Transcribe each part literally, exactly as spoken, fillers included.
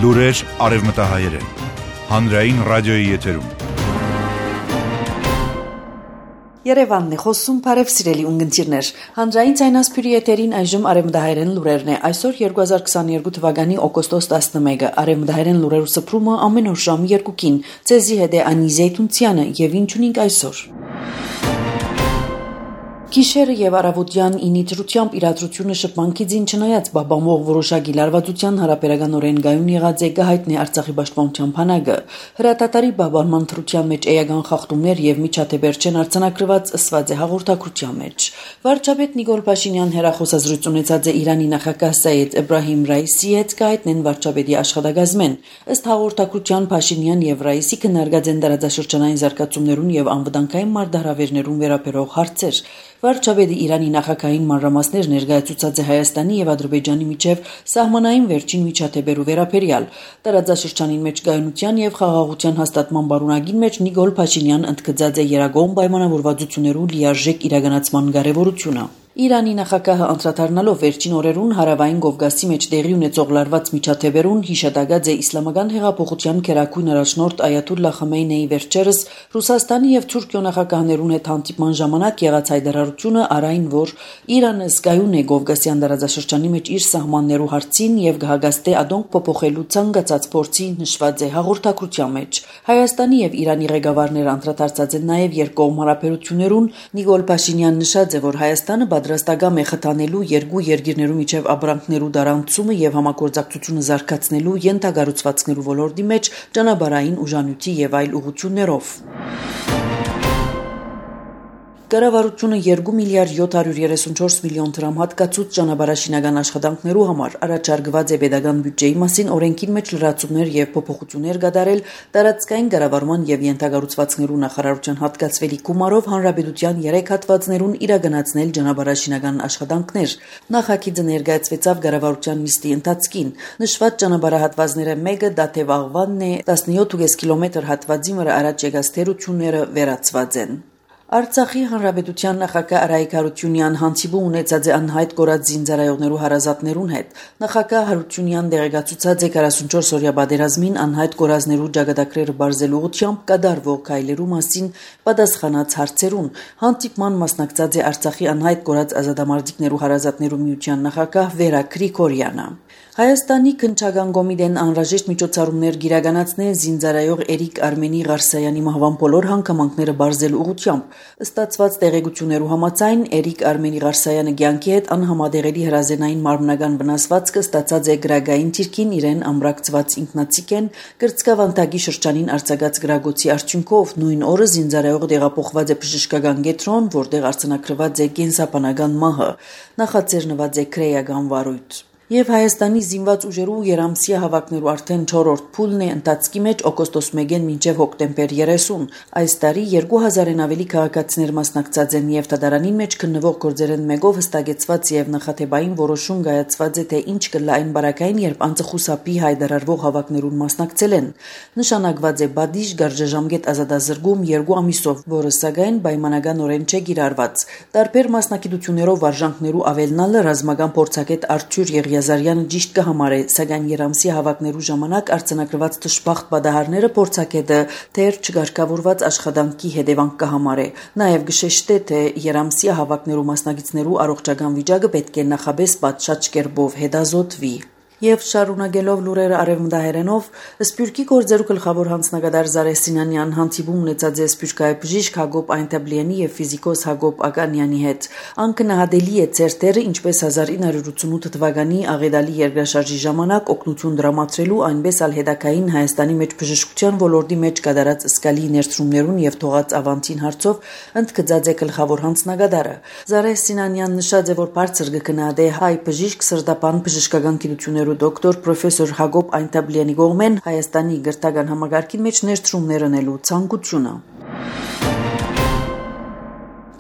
Լուրեր արևմտահայերեն, հանրային ռադիոյի եթերում։ Երևանն է խոսում, բարև սիրելի ունգընտիրներ։ Հանրային ցայնասփյուրի եթերին այժմ արևմտահայերեն լուրերն է։ Այսօր երկու հազար քսաներկու թվականի օգոստոս տասնմեկը արևմտահայերեն լուրերու սփռումը ամեն օր ժամը երկուքին։ Ցեզի հետ է Անի Զեյթունցյանը եւ ինչ ունենք այսօր։ Գիշերը եւ առավոտյան ինի դրությամբ իրադրությունը շփմանքի ձին չնայած բաբամող որոշակի լարվածության հարաբերական օրենգայուն եղած է գահիտնի Արցախի պաշտպանության բանակը։ Հրատատարի բաբանման թրության մեջ էական խախտումներ եւ միջադեպերչեն արձանագրված ըսված է հաղորդակցության մեջ։ Վարչապետ Նիկոլ Փաշինյան հերախոսազրույց ունեցած է Իրանի նախագահ Սայեդ Էբրահիմ Ռայիսի հետ գահիտնեն վարչապետի աշխատակազմեն։ Ըստ հաղորդակցության Փաշինյան եւ Ռայիսի քննարկած են տարածաշրջանային զարգացումներուն եւ անվտանգային մարտահրավերներուն վերաբերող հարցեր։ Վարչապետի Իրանի նախագահային մանրամասներ ներկայացուցած է Հայաստանի եւ Ադրբեջանի միջև սահմանային վերջին միջադեպերու վերաբերյալ տարածաշրջանին մեջ գայունության եւ խաղաղության հաստատման բարունակին մեջ Նիկոլ Փաշինյան ընդգծած է երագոհ պայմանավորվածություններու լիարժեք իրականացման կարեւորությունը։ Իրանի նախագահը անդրադառնալով վերջին օրերուն հարավային Կովկասի մեջ տեղի ունեցող լարված միջադեպերուն հիշատակած է իսլամական հեղափոխության քերակույն առաջնորդ Այաթոլլահ Խամեյնիի վերջերս Ռուսաստանի եւ Թուրքիո նախագահներուն հետ հանդիպման ժամանակ եղած հայտարարությունը արայն, որ Իրանը զգայուն է Կովկասյան տարածաշրջանի մեջ իր սահմաններու հարցին եւ գահագաստե ադոնք փոփոխելու ցանկացած փորձի նշված է հաղորդակցության մեջ։ Հայաստանի եւ Իրանի ղեկավարները անդրադարձած են նաեւ երկկողմ հարաբերություններուն։ Նիկոլ Փաշինյան նշած է, որ Հայաստանը պատրաստական է խթանելու երկու երկիրներու միջև ապրանքներու դարանցումը եւ համագործակցությունը զարգացնելու յենթագառուցվածքներու ոլորտի մեջ ճանապարհային ուժանյութի եւ այլ ուղղություններով։ Կառավարությունը երկու միլիարդ յոթ հարյուր երեսունչորս միլիոն դրամ հատկացուց ճանապարհաշինական աշխատանքներու համար առաջարկված է պետական բյուջեի մասին օրենքին մեջ լրացումներ եւ փոփոխություններ կատարել տարածքային կառավարման եւ յենթագառուցվածքներու նախարարության հատկացվելի գումարով հանրապետության երեք հատվածներուն իրականացնել ճանապարհաշինական աշխատանքներ։ Նախագիծը ներկայացվեցավ կառավարության նիստի ընթացքին։ Նշված ճանապարհահատվածները մեկը Դաթև-Աղվանն է, տասնյոթ կես կիլոմետր հատվածի վրա առաջ եկած թերությունները վերացված են։ Արցախի հանրապետության նախագահ Արայիկ Հարությունյան հանդիպում ունեցած է անհայտ կորած զինծառայողներու հարազատներուն հետ։ Նախագահ Հարությունյան դեղեկացուցած է քառասունչորս օրյա պատերազմին անհայտ կորածներու ճակատագրերը բարձելու ուղղությամբ կատարվող քայլերու մասին պատասխանած հարցերուն։ Հանդիպման մասնակցած է Արցախի անհայտ կորած ազատամարտիկներու հարազատներու միության նախագահ Վերա Գրիգորյանը։ Հայաստանի քննչական կոմիտեն անհրաժեշտ միջոցառումներ գիրականացնե զինծառայող Էրիկ Արմենի Ղարսայանի մահվան բոլոր հանգամանքները բարձելու ուղղությամբ։ Ստացված տեղեկություններու համաձայն Էրիկ Արմենի Ղարսայանը կյանքի հետ անհամատեղելի հրազենային մարմնական վնասվածքը ստացած է գրագային թիրքին իրեն ամրակցված ինքնացիկեն կրծքավանդակի շրջանին արձակած գրագոցի արդյունքով նույն օրը զինծառայողը տեղափոխված է բժշկական կենտրոն, որտեղ արձանագրված է կենսաբանական մահը։ Նախաձեռնված է քրեական վարույթ։ Եվ Հայաստանի զինված ուժերու երամսյա հավաքներու արդեն չորրորդ փուլն է ընթացքի մեջ օգոստոս մեկին մինչև հոկտեմբեր երեսուն։ Այս տարի երկու հազարեն ավելի քաղաքացիներ մասնակցած են եւ դատարանին մեջ քննվող գործերեն մեկով հստակեցված եւ նախաթեբային որոշում կայացված է, թե ինչ կլա այն բարակային, երբ անձը խուսափի հայտարարվող հավաքներուն մասնակցել են։ Նշանակված է բադիժ գարժաժամկետ ազատազրկում երկու ամիսով, որը սակայն պայմանականորեն չէ կիրառված։ Տարբեր մասնակցություններով վարժանքներու ավելնալը ռազմական փորձագետ Արթուր Եղիազարյանը ճիշտ կհամարե, սակայն երամսյա հավաքներու ժամանակ արձանագրված դժբախտ պատահարները փորձագետը դեռ չկարգավորված աշխատանքի հետևանք կհամարե։ Նաև գշեշտե, թե երամսյա հավաքներու մասնակիցներու առողջական վիճակը պետք է նախաբես պատշաճ կերպով հետազոտվի։ Եվ շարունակելով լուրերը արևմտահայերենով, Սփյուռքի գործերու գլխավոր հանձնագետար Զարեհ Սինանյան հանդիպում ունեցած է սփյուռքահայ բժիշկ Հակոբ Այնտաբլյանի եւ ֆիզիկոս Հակոբ Ականյանի հետ։ Անկնահատելի է ցերտերը, ինչպես հազար ինը հարյուր ութսունութ թվականի աղետալի երկրաշարժի ժամանակ օգնություն դրամատրելու, այնպես ալ հետակային Հայաստանի մեջ բժշկության ոլորտի մեջ կատարած սկալի ներդրումներուն եւ թողած ավանտին հարցով ընդգծած է գլխավոր հանձնագետարը։ Զարեհ Սինանյանն նշած է, որ բարձր կգնահատե հայ բժիշկ սրտապան բժշկական գիտություններու դոկտոր պրոֆեսոր Հակոբ Այնտաբլյանի կողմեն Հայաստանի գրթական համագարկին մեջ ներդրումներ անելու ցանկությունը։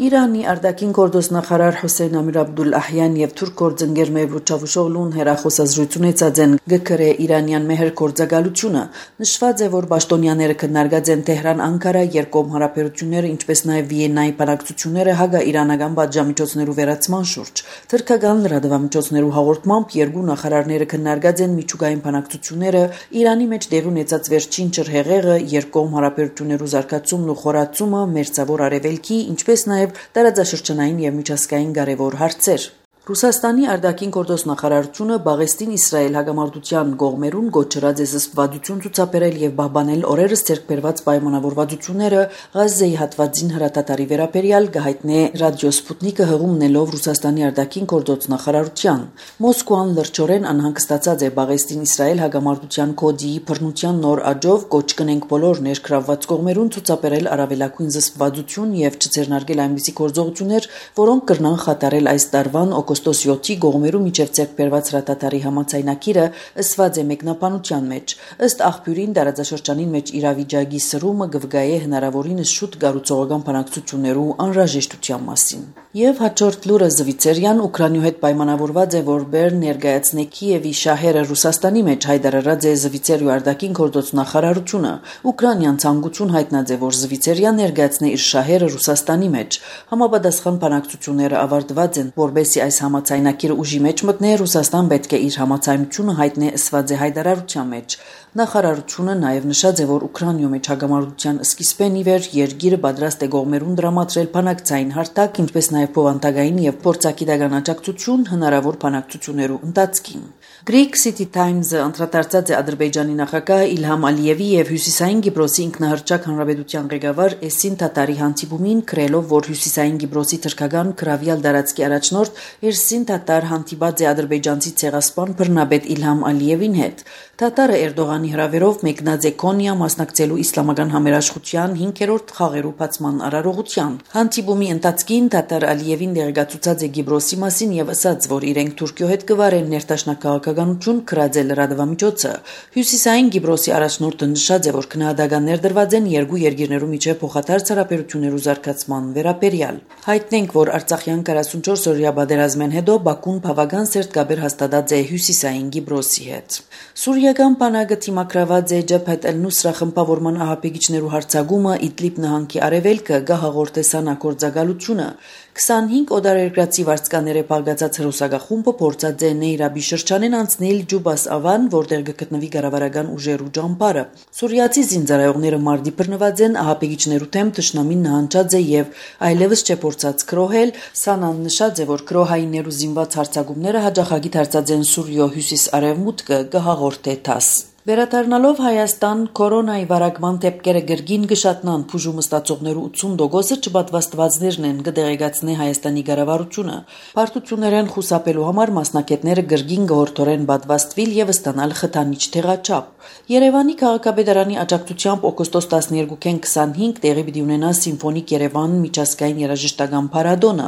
Իրանի արտաքին գործնախարար Հոսեյն Ամիր Աբդուլլահյան եւ թուրք գործընկեր Մևլութ Չավուշօղլուն հերախոսազրույցուն եցածեն գկրե Իրանյան մեհր գործակալությունը նշված է, որ պաշտոնյաները քննարկած են Թեհրան-Անկարա երկկողմ հարաբերությունները, ինչպես նաեւ Վիեննայի բանակցությունները հագա-իրանական պատժամիջոցներու վերացման շուրջ։ Թուրքական լրատվամիջոցներու հաղորդմամբ երկու նախարարները քննարկած են միջուկային բանակցությունները, Իրանի մեջ դեռ ունեցած վերջին ջրհեղեղը, երկկողմ հարաբերություններու զարգացումն ու խորացումը, մերձավոր արևելքի, ինչպես նաեւ տարածաշրջանային եւ միջազգային կարևոր հարցեր։ Ռուսաստանի արտաքին գործնախարարությունը Բաղեստին Իսրայել հակամարտության կողմերուն գոչրած է զսպվածություն ցուցաբերել եւ պահպանել օրերս ձեռք բերված պայմանավորվածությունները Ղազայի հատվածին հրատատարի վերաբերյալ գահիտնե ռադիո Սպուտնիկը հղումնելով Ռուսաստանի արտաքին գործնախարարության։ Մոսկվան լրջորեն անհանգստացած է Բաղեստին Իսրայել հակամարտության կոդի բռնության նոր աճով կոչ կնենք բոլոր ներգրավված կողմերուն ցուցաբերել առավելագույն զսպվածություն եւ չձեռնարկել այնպիսի գործողություններ, որոնք կրնան խաթարել այս տարվան օգոստոս յոթի գողմերու միջև ձեռք բերված հրատատարի համաձայնագիրը ըսված է մեկնաբանության մեջ։ Ըստ աղբյուրին տարածաշրջանին մեջ իրավիճակի սրումը կվգայե հնարավորինս շուտ կառուցողական բանակցություններու անհրաժեշտության մասին։ Եվ հաջորդ լուրը Զվիցերիան Ուկրաինայու հետ պայմանավորված է, որ Բեռն ներկայացնե Կիևի շահերը Ռուսաստանի մեջ հայտարարած է Զվիցերիու արտաքին գործնախարարությունը։ Ուկրաինան ցանկություն հայտնած է, որ Զվիցերիան ներկայացնե իր շահերը Ռուսաստանի մեջ։ Համապատասխան բանակցությունները ավարտված են, որբեսի այս համաձայնագիրը ուժի մեջ մտնե, Ռուսաստան պետք է իր համաձայնությունը հայտնի ըսված է հայտարարության մեջ։ Նախարարությունը նաև նշած է, որ Ուկրաինայու մեջ հակամարտության սկիզբեն ի վեր երկիրը պատրաստ է կողմերուն դրամատրել բանակցային հարթակ, ինչպես նաև փոխանցագային եւ փորձագիտական աջակցություն հնարավոր բանակցություններու ընթացքին։ Greek City Times-ը անդրադարձած է Ադրբեջանի նախագահ Իլհամ Ալիևի եւ Հյուսիսային Կիպրոսի ինքնահռչակ հանրապետության ղեկավար Էսին Թաթարի հանդիպումին, քրելով, որ Հյուսիսային Կիպրոսի թրքական քրավյալ դարածքի առաջնորդ Էսին Թաթար հանդիպած է ադրբեջանցի ցեղասպան բռնապետ Իլհամ Ալիևին հետ։ Թաթարը Էրդողանի հրավերով մեկնած է Կոնիա մասնակցելու իսլամական համերաշխության հինգերորդ խաղերու բացման արարողության։ Հանդիպումի ընթացքին Թաթար Ալիևին դեղեկացուցած է Կիպրոսի մասին եւ ասաց, որ իրենք Թուրքիո հետ կվարեն ներդաշնակահաղականություն քրած է լրատվամիջոցը։ Հյուսիսային Կիպրոսի առաջնորդը նշած է, որ քննադատականներ դրված են երկու երկիրներու միջև փոխադարձ հարաբերություններու զարգացման վերաբերյալ։ Հայտնենք, որ Արցախյան քառասունչորս օրյա պատերազմեն հետո Բաքուն բավական սերտ կապեր հաստատած է Հյուսիսային Կիպրոսի հետ։ Սուրիական բանակը թիմակրաված է Ջաբհաթ Ալ-Նուսրա խմբավորման ահաբեկիչներու հարձակումը Իդլիբ նահանգի արևելքը գահաղորդե սանագործակալությունը։ քսանհինգ օդարերկրացի վարձկաները բաղկացած հրոսակախումբը փորձած է Նեյրաբի շրջանեն անցնել Ջուբաս ավան, որտեղ կգտնվի կառավարական ուժերու ճամբարը։ Սուրիացի զինծառայողները մարտի բռնված են, ահաբեկիչներու դեմ թշնամին նահանջած է եւ այլևս չէ փորձած քրոհել։ Սանան նշած է, որ քրոհայիններու զինված հարձակումները հաջախագի դարձած են Սուրիո հյուսիս-արևմուտքը գահաղորդե թաս։ Վերադառնալով Հայաստան, կորոնայի վարակման դեպքերը գրգին գշատնան բուժումը ստացողներու ութսուն տոկոսը չպատվաստվածներն են կդեղեկացնի Հայաստանի կառավարությունը։ Պարտություններեն խուսափելու համար մասնակիցները գրգին գորթորեն պատվաստվել եւ ստանալ խթանիչ թեղաչափ։ Երևանի քաղաքապետարանի աջակցությամբ օգոստոս տասներկուին քսանհինգ տեղի պիտի ունենա Սիմֆոնիկ Երևան միջազգային երաժշտական փառատոնը,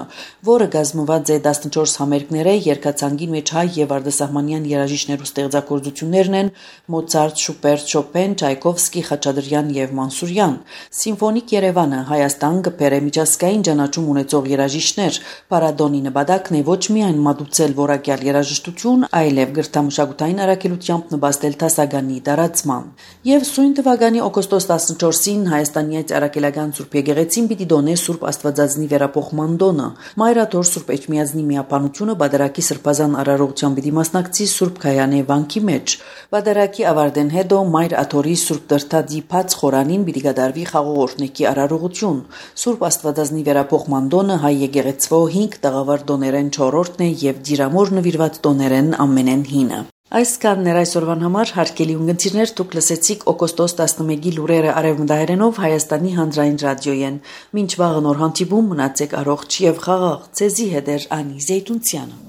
որը կազմված է տասնչորս համերգների, երկացանկի մեջ հայ եւ արտասահմանյան երաժիշտներու ստեղծագործություններն են Մոցարտ, Շուպերտ, Շոպեն, Չայկովսկի, Խաչատրյան եւ Մանսուրյան։ Սիմֆոնիկ Երևանը Հայաստան կբերե միջազգային ճանաչում ունեցող երաժիշտներ։ Փառատոնի նպատակն է ոչ միայն մատուցել որակյալ երաժշտություն, այլև գրթամշակութային առաքելությամբ նպաստել դասագանի տարածման։ Եվ սույն թվականի օգոստոս տասնչորսին Հայաստանի Արաքելական Սուրբ Եկեղեցին պիտի դոնե Սուրբ Աստվածածնի վերապոխման տոնը։ Մայրաթոր Սուրբ Էջմիածնի միապանությունը Բադարակի սրբազան արարողության պիտի մասնակցի Սուրբ Քայանե վանքի մեջ։ Բադարակի ավարտեն հետո Մայր Աթորի Սուրբ Տրթադի բաց խորանին պիտի կատարվի խաղողորտնեկի արարողություն։ Սուրբ Աստվածածնի վերապոխման տոնը հայ եկեղեցվո հինգ տաղավար տոներեն չորրորդն է եւ դիրամոր նվիրված տոներեն ամենեն հինը։ Այսքանն էր այսօրվան համար հարգելի ունգընտիրներ, դուք լսեցիք օգոստոս տասնմեկի լուրերը արևմտահայերենով Հայաստանի հանրային ռադիոյեն։ Մինչ վաղը նոր հանդիպում մնացեք առողջ եւ խաղաղ։ Ձեզի հետ էր Անի Զեյթունցյանը։